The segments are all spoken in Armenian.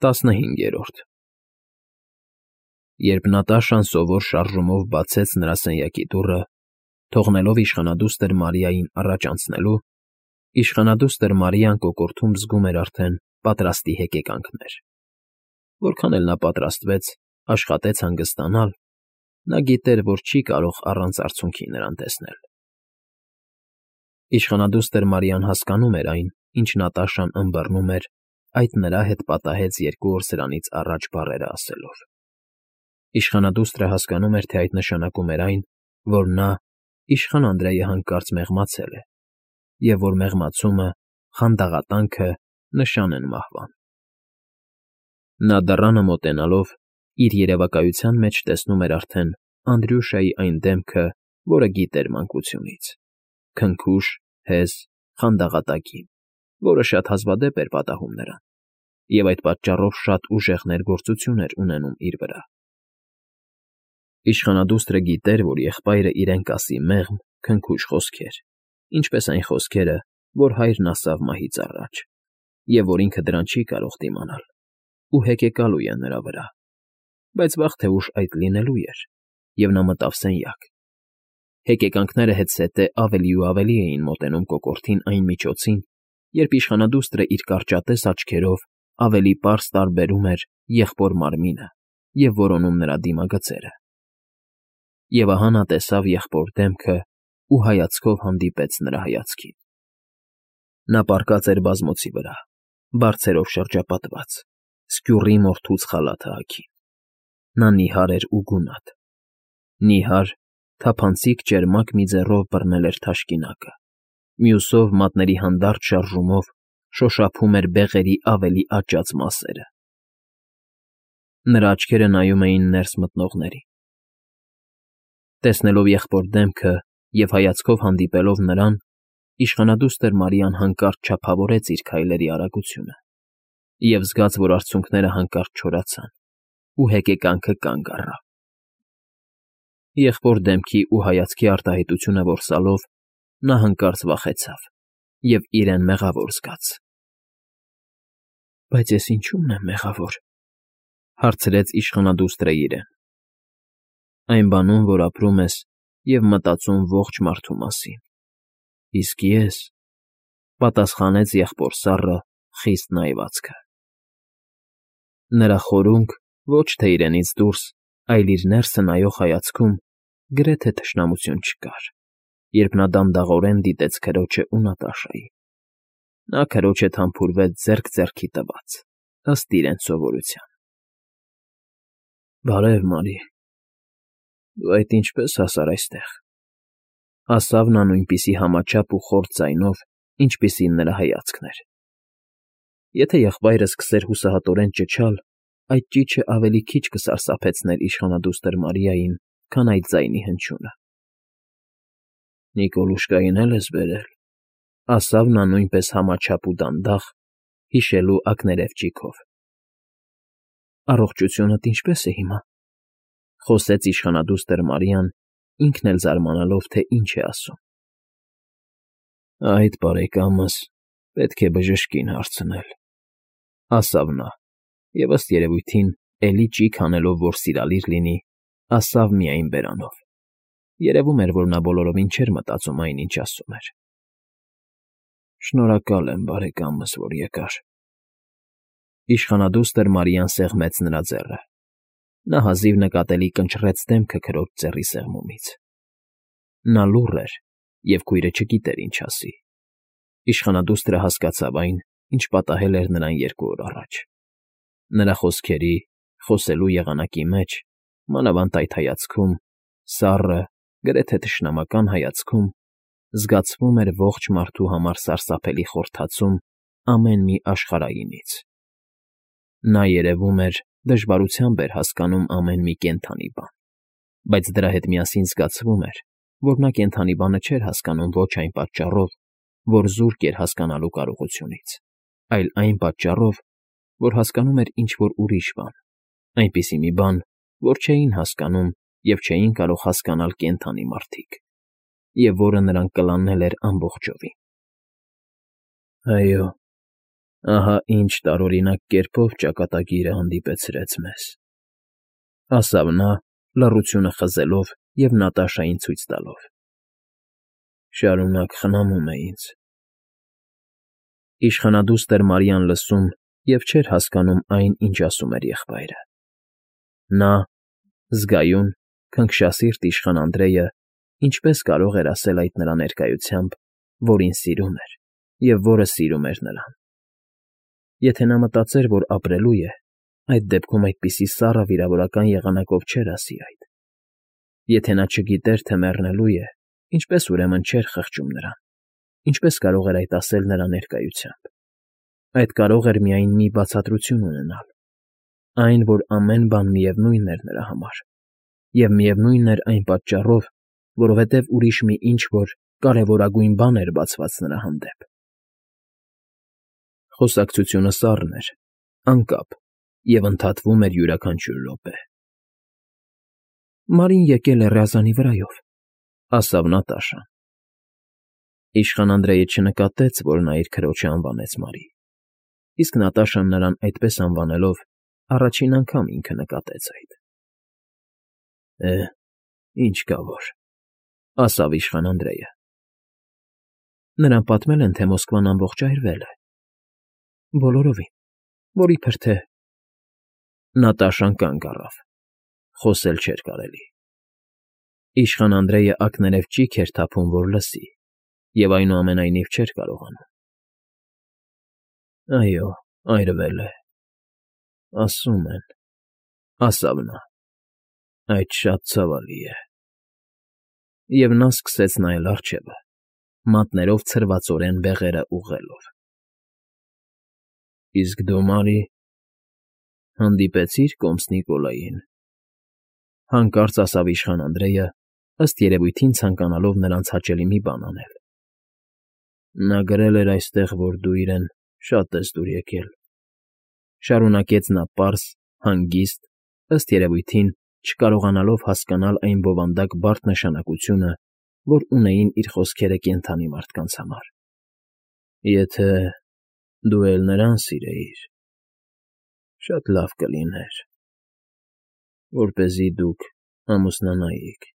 15 Երբ Նատաշան սովոր շարժումով բացեց նրա սենյակի դուռը, թողնելով իշխանադուստր Մարիային առաջ անցնելու, իշխանադուստր Մարիան կոկորդում զգում էր արդեն պատրաստի հեկեկանքներ. որքան էլ նա պատրաստվեց, աշխատեց հանգստանալ, նա գիտեր, որ չի կարող առանց արցունքի նրան տեսնել։ Իշխանադուստր Մարիան հասկանում էր այն, ինչ Նատաշան ըմբռնում էր այդ նրա հետ պատահեց 2 օր սրանից առաջ բառերը ասելով։ Իշխանադուստրը հասկանում էր, թե այդ նշանակում էր այն, որ նա, իշխան Անդրեյը հանկարծ մեղմացել է, և որ մեղմացումը, խանդաղատանքը նշան են մահվան։ Նա դռանը մոտենալով իր երևակայության մեջ տեսնում էր արդեն Անդրյուշայի այն դեմքը, որը գիտեր մանկությունից, քնքուշ, հեզ, խանդաղատակին, որը շատ հազվադեպ էր պատահում նրան, և այդ պատճառով շատ ուժեղ ներգործություն էր ունենում իր վրա։ Իշխանադուստրը գիտեր, որ եղբայրը իրեն կասի մեղմ, քնքուշ խոսքեր, ինչպես այն խոսքերը, որ հայրն ասավ մահից առաջ, և որ ինքը դրան չի կարող դիմանալ, ու հեկեկալու է նրա վրա, բայց վաղ թե ուշ այդ լինելու էր, և նա մտավ սենյակ։ Հեկեկանքները հետզհետե ավելի ու ավելի էին մոտենում կոկորդին այն միջոցին, երբ իշխանադուստրը իր կարճատես աչքերով ավելի պարզ տարբերում էր եղբոր մարմինը և որոնում նրա դիմագծերը։ Եվ ահա նա տեսավ եղբոր դեմքը ու հայացքով հանդիպեց նրա հայացքին։ Նա պառկած էր բազմոցի վրա, բարձերով շրջապատված, սկյուռի մորթուց խալաթը հագին։ Նա նիհար էր ու գունատ։ Նիհար, թափանցիկ ճերմակ մի ձեռով բռնել էր թաշկինակը, մյուսով մատների հանդարտ շարժումով շոշափում էր բեղերի ավելի աճած մասերը։ Նրա աչքերը նայում էին ներս մտնողներին։ Տեսնելով եղբոր դեմքը և հայացքով հանդիպելով նրան, իշխանադուստր Մարիան հանկարծ չափավորեց իր քայլերի արագությունը և զգաց, որ արցունքները հանկարծ չորացան, ու հեկեկանքը կանգ առավ։ Եղբոր դեմքի ու հայացքի արտահայտությունը որսալով, նա հանկարծ վախեցավ և իրեն մեղավոր զգաց։ «Բայց ես ինչո՞ւմն եմ մեղավոր,֊ հարցրեց իշխանադուստրը իրեն։ «Այն բանում, որ ապրում ես և մտածում ողջ մարդու մասին, իսկ ես,֊ պատասխանեց եղբոր սառը, խիստ նայվածքը։ Նրա խորունկ, ոչ թե իրենից դուրս, այլ իր ներսը նայող հայացքում գրեթե թշնամություն չկար, երբ նա դանդաղորեն դիտեց քրոջն ու Նատաշային։ Նա քրոջ հետ համբուրվեց ձեռք ձեռքի տված, ըստ իրենց սովորության։ «Բարև, Մարի, դու այդ ինչպե՞ս հասար այստեղ,֊ ասավ նա նույնպիսի համաչափ ու խորձ ձայնով, ինչպիսին նրա հայացքն էր։ Եթե եղբայրը սկսեր հուսահատորեն ճչալ, այդ ճիչը ավելի քիչ կսարսափեցներ իշխանադուստր Մարիային, քան այդ ձայնի հնչյունը։ Նիկոլուշկային է՞լ ես բերել,֊ ասավ նա նույնպես համաչափ ու դանդաղ, հիշելու ակներև ճիգով։ Առողջությունդ ինչպե՞ս է հիմա,֊ խոսեց իշխանադուստր Մարիան, ինքն էլ զարմանալով, թե ինչ է ասում։ Այդ, բարեկամս, պետք է բժշկին հարցնել,֊ ասավ նա, և ըստ երևույթին, էլի ճիգ անելով, որ սիրալիր լինի, ասավ միայն բերանով։ Երևում էր, որ նա բոլորովին չէր մտածում այն, ինչ ասում էր։ Շնորհակալ եմ, բարեկամս, որ եկար։ Իշխանադուստր Մարիան սեղմեց նրա ձեռը։ Նա հազիվ նկատելի կնճռեց դեմքը քրոջ ձեռի սեղմումից։ Նա լուռ էր, և քույրը չգիտեր ինչ ասի։ Իշխանադուստրը հասկացավ այն, ինչ պատահել էր նրան 2 օր առաջ։ Նրա խոսքերի, խոսելու եղանակի մեջ, մանավանդ այդ հայացքում, սառը, գրեթե թշնամական հայացքում, զգացվում էր ողջ մարդու համար սարսափելի խորթացում ամեն մի աշխարհայինից։ Նա, երևում էր, դժվարությամբ էր հասկանում ամեն մի կենդանի բան, բայց դրա հետ միասին զգացվում էր, որ նա կենդանի բանը չէր հասկանում ոչ այն պատճառով, որ զուրկ էր հասկանալու կարողությունից, այլ այն պատճառով, որ հասկանում էր ինչ֊որ ուրիշ բան, այնպիսի մի բան, որ չէին հասկանում և չէին կարող հասկանալ կենդանի մարդիկ, և որը նրան կլանել էր ամբողջովին։ Այո, Ահա ինչ տարօրինակ կերպով ճակատագիրը հանդիպեցրեց մեզ,֊ ասավ նա, լռությունը խզելով և Նատաշային ցույց տալով։ Շարունակ խնամում է ինձ… Իշխանադուստր Մարիան լսում և չէր հասկանում այն, ինչ ասում էր եղբայրը. նա, զգայուն, քնքշասիրտ իշխան Անդրեյը ինչպես կարող էր ասել այդ նրա ներկայությամբ, որին սիրում էր և որը սիրում էր նրան… Եթե նա մտածեր, որ ապրելու է, այդ դեպքում այդպիսի սառը վիրավորական եղանակով չէր ասի այդ… Եթե նա չգիտեր, թե մեռնելու է, ինչպե՞ս ուրեմն չէր խղճում նրան… Ինչպե՞ս կարող էր այդ ասել նրա ներկայությամբ… Այդ կարող էր միայն մի բացատրություն ունենալ… Այն, որ ամեն բան միևնույն էր նրա համար, և միևնույնն էր այն պատճառով, որովհետև ուրիշ մի ինչ֊որ կարևորագույն բան էր բացված նրա հանդեպ… Խոսակցությունը սառն էր, անկապ և ընդհատվում էր յուրաքանչյուր րոպե։ Մարին եկել է ռյազանի վրայով,֊ ասավ Նատաշան։ Իշխան Անդրեյը չնկատեց, որ նա իր քրոջը անվանեց Մարի, իսկ Նատաշան նրան այդպես անվանելով առաջին անգամ ինքը նկատեց այդ։ Ինչ կա որ,֊ ասավ իշխան Անդրեյը։ Նրան պատմել են, թե Մոսկվան ամբողջայրվել է… Բոլորովին, որ իբր թե… Նատաշան կանգ առավ, խոսել չէր կարելի… Իշխան Անդրեյը ակներև ճիգ էր թափում, որ լսի, և այնուամենայնիվ չէր կարողանում։ Այո, այրվել է, ասում են,֊ ասավ նա,֊ այդ շատ ցավալի է… Եվ նա սկսեց նայել առջևը, մատներով ցրվածորեն բեղերը ուղղելով։ Իսկ դու, Մարի, հանդիպեցի՞ր կոմս Նիկոլային,֊ հանկարծ ասավ իշխան Անդրեյը, ըստ երևույթին ցանկանալով նրանց հաճելի մի բան անել։ Նա գրել էր այստեղ, որ դու իրեն շատ ես դուր եկել,֊ շարունակեց նա պարզ, հանգիստ, ըստ երևույթին չկարողանալով հասկանալ այն բովանդակ բարդ նշանակությունը, որ ունեին իր խոսքերը կենդանի մարդկանց համար։ Եթե դու էլ նրան սիրեիր, շատ լավ կլիներ, որպեսզի դուք ամուսնանայիք,֊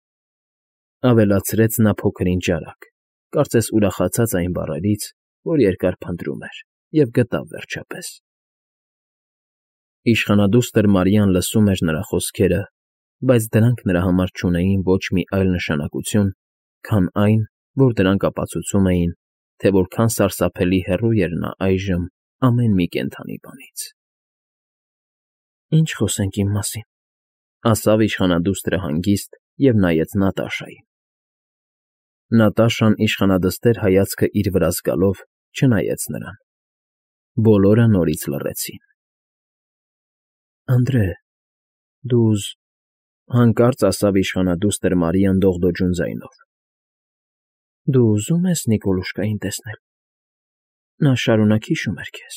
ավելացրեց նա փոքր֊ինչ արագ, կարծես ուրախացած այն բառերից, որ երկար փնտրում էր, և գտավ վերջապես։ Իշխանադուստր Մարիան լսում էր նրա խոսքերը, բայց դրանք նրա համար չունեին ոչ մի այլ նշանակություն, քան այն, որ դրանք ապացուցում էին, թե որքան սարսափելի հեռու էր նա այժմ ամեն մի կենդանի բանից։ Ինչ խոսենք իմ մասին,֊ ասավ իշխանադուստրը հանգիստ և նայեց Նատաշային։ Նատաշան իշխանադստեր հայացքը իր վրա զգալով չնայեց նրան։ Բոլորը նորից լռեցին։ Անդրե, դու հանկարծ ասավ իշխանադուստր Մարիան դողդոջուն ձայնով,֊ դու ուզում ես Նիկոլուշկային տեսնել… Նա շարունակ հիշում էր քեզ…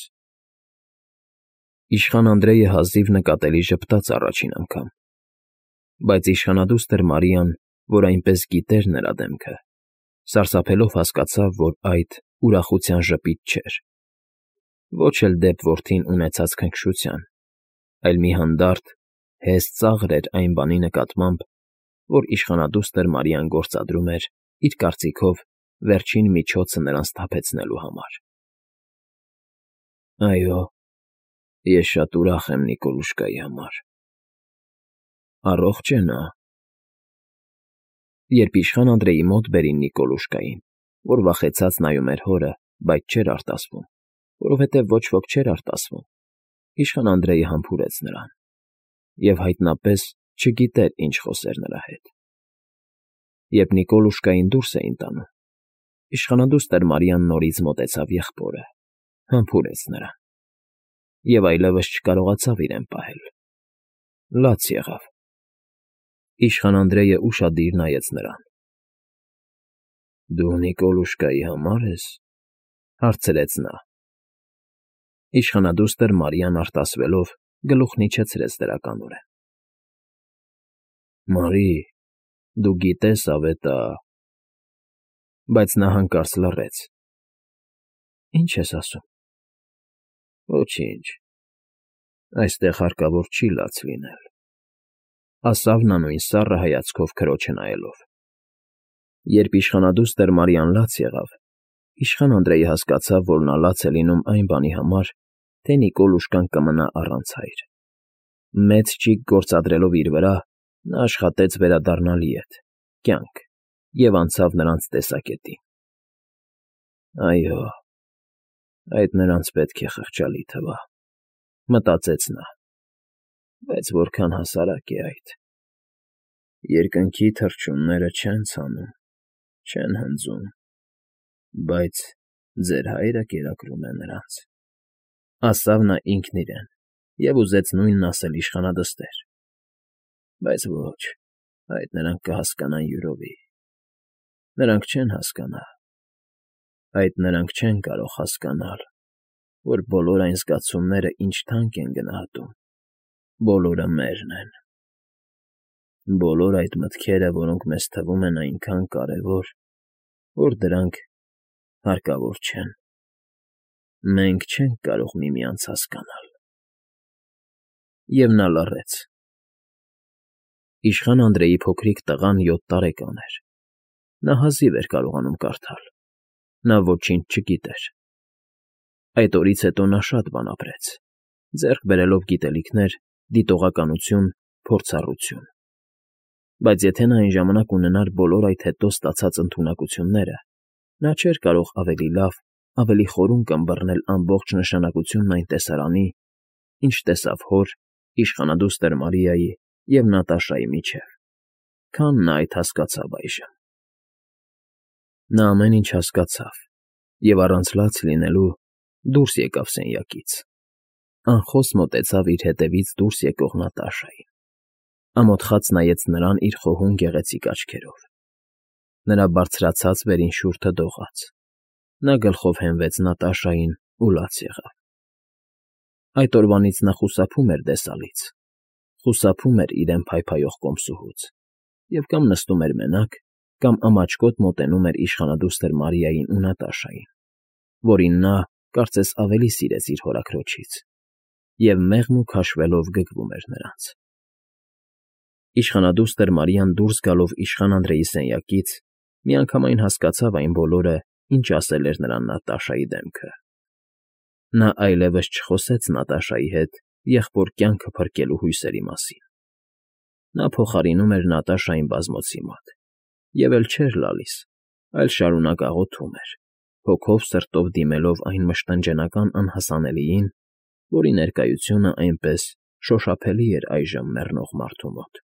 Իշխան Անդրեյը հազիվ նկատելի ժպտաց առաջին անգամ, բայց իշխանադուստր Մարիան, որ այնպես գիտեր նրա դեմքը, սարսափելով հասկացավ, որ այդ ուրախության ժպիտ չէր, ոչ էլ դեպ որդին ունեցած քնքշության, այլ մի հանդարտ, հեստ ծաղր էր այն բանի նկատմամբ, որ իշխանադուստր Մարիան գործադրում էր, իր կարծիքով, վերջին միջոցը նրան սթափեցնելու համար։ Այո, ես շատ ուրախ եմ Նիկոլուշկայի համար… Առողջ է նա… Երբ իշխան Անդրեյի մոտ բերին Նիկոլուշկային, որ վախեցած նայում էր հորը, բայց չէր արտասվում, որովհետև ոչ ոք չէր արտասվում, իշխան Անդրեյը համբուրեց նրան և հայտնապես չգիտեր ինչ խոսեր նրա հետ։ Երբ Նիկոլուշկային դուրս էին տանում, իշխանադուստր Մարիան նորից մոտեցավ եղբորը, համբուրեց նրան և այլևս չկարողացավ իրեն պահել… Լաց եղավ։ Իշխան Անդրեյը ուշադիր նայեց նրան։ Դու Նիկոլուշկայի համար ես,֊ հարցրեց նա։ Իշխանադուստր Մարիան արտասվելով գլուխն իջեցրեց դրականորեն։ Մարի, դու գիտես ավետա… Բայց նա հանկարծ լռեց։ Ինչ ես ասում։ Ոչինչ, այստեղ հարկավոր չի լաց լինել,֊ ասավ նա նույն սառը հայացքով քրոջը նայելով։ Երբ իշխանադուստր Մարիան լաց եղավ, իշխան Անդրեյը հասկացավ, որ նա լաց է լինում այն բանի համար, թե Նիկոլուշկան կմնա առանց հայր։ Մեծ ճիգ գործադրելով իր վրա, նա աշխատեց վերադառնալ ետ, կյանք, և անցավ նրանց տեսակետին։ «Այո, այդ նրանց պետք է խղճալի թվա,֊ մտածեց նա,֊ բայց որքան հասարակ է այդ… Երկնքի թռչունները չեն ցանում, չեն հնձում, բայց ձեր հայրը կերակրում է նրանց,֊ ասավ նա ինքն իրեն և ուզեց նույնն ասել իշխանադստեր։ Բայց ոչ, այդ նրանք կհասկանան յուրովի… Նրանք չեն հասկանա… Այդ նրանք չեն կարող հասկանալ, որ բոլոր այն զգացումները ինչ թանկ են գնահատում, բոլորը մերն են… Բոլոր այդ մտքերը, որոնք մեզ թվում են այնքան կարևոր, որ դրանք հարկավոր չեն… Մենք չենք կարող միմյանց հասկանալ… Եվ նա լռեց։ Իշխան Անդրեյի փոքրիկ տղան 7 տարեկան էր։ Նա հազիվ էր կարողանում կարդալ։ Նա ոչինչ չգիտեր։ Այդ օրից հետո նա շատ բան ապրեց, ձեռք բերելով գիտելիքներ, դիտողականություն, փորձառություն։ Բայց եթե նա այն ժամանակ ունենար բոլոր այդ հետո ստացած ընդունակությունները, նա չէր կարող ավելի լավ, ավելի խորուն կմբռնել ամբողջ նշանակությունն այն տեսարանի, ինչ տեսավ հոր, իշխանադուստր Մարիայի և Նատաշայի միջև, քան նա այդ հասկացավ այժմ։ Նա ամեն ինչ հասկացավ և առանց լաց լինելու դուրս եկավ սենյակից, անխոս մոտեցավ իր հետևից դուրս եկող Նատաշային, ամոթխած նայեց նրան իր խոհուն գեղեցիկ աչքերով։ Նրա բարձրացած վերին շուրթը դողաց։ Նա գլխով հենվեց Նատաշային ու լաց եղավ։ Այդ օրվանից նա խուսափում էր դեսալից, խուսափում էր իրեն փայփայող կոմսուհուց և կամ նստում էր մենակ, կամ ամաչկոտ մոտենում էր իշխանադուստր Մարիային ու Նատաշային, որին նա, կարծես ավելի սիրեց իր հորաքրոջից, և մեղմ ու քաշվելով գգվում էր նրանց։ Իշխանադուստր Մարիան դուրս գալով իշխան Անդրեյի սենյակից միանգամայն հասկացավ այն բոլորը, ինչ ասել էր նրան Նատաշայի դեմքը։ Նա այլևս չխոսեց Նատաշայի հետ եղբոր կյանքը փրկելու հույսերի մասին։ Նա փոխարինում էր Նատաշային բազմոցի մոտ և էլ չէր լալիս, այլ շարունակ աղոթում էր, հոգով սրտով դիմելով այն մշտնջենական անհասանելիին, որի ներկայությունը այնպես շոշափելի էր այժմ մեռնող մարդու մոտ։